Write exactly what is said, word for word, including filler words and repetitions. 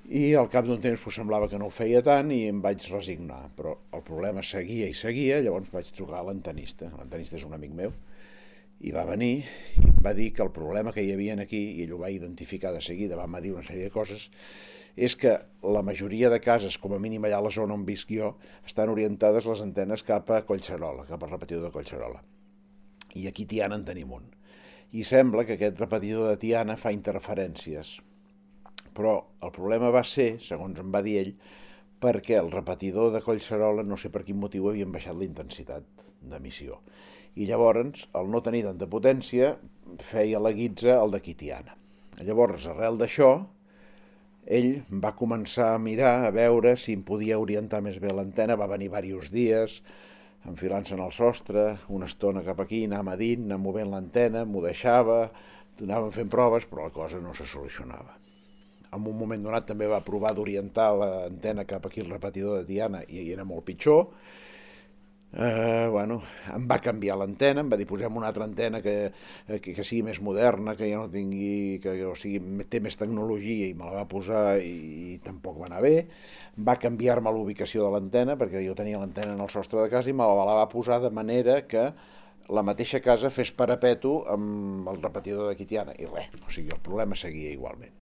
I al cap d'un temps pues, semblava que no ho feia tant i em vaig resignar, però el problema seguia i seguia, llavors vaig trucar a l'antenista. L'antenista és un amic meu, i va venir i em va dir que el problema que hi havia aquí, i ell ho va identificar de seguida, va dir una sèrie de coses, és que la majoria de cases, com a mínim allà a la zona on visc jo, estan orientades les antenes cap a Collserola, cap al repetidor de Collserola. I aquí a Tiana en tenim un. I sembla que aquest repetidor de Tiana fa interferències. Però el problema va ser, segons em va dir ell, perquè el repetidor de Collserola, no sé per quin motiu, havien baixat la intensitat d'emissió. I llavors, al no tenir tanta potència, feia la guitza el de Tiana. Llavors, arrel d'això, ell va començar a mirar, a veure si em podia orientar més bé l'antena, va venir diversos dies, enfilant-se en el sostre, una estona cap aquí, anar medint, anar movent l'antena, m'ho deixava, anàvem fent proves, però la cosa no se solucionava. En un moment donat també va provar d'orientar l'antena cap aquí al repetidor de Tiana i era molt pitjor. Eh, bueno, em va canviar l'antena, em va dir posem una altra antena que, que, que sigui més moderna, que ja no tingui, que o sigui, té més tecnologia, i me la va posar i, i tampoc va anar bé. Va canviar-me l'ubicació de l'antena, perquè jo tenia l'antena en el sostre de casa i me la va posar de manera que la mateixa casa fes parapeto amb el repetidor de Tiana i res, o sigui, el problema seguia igualment.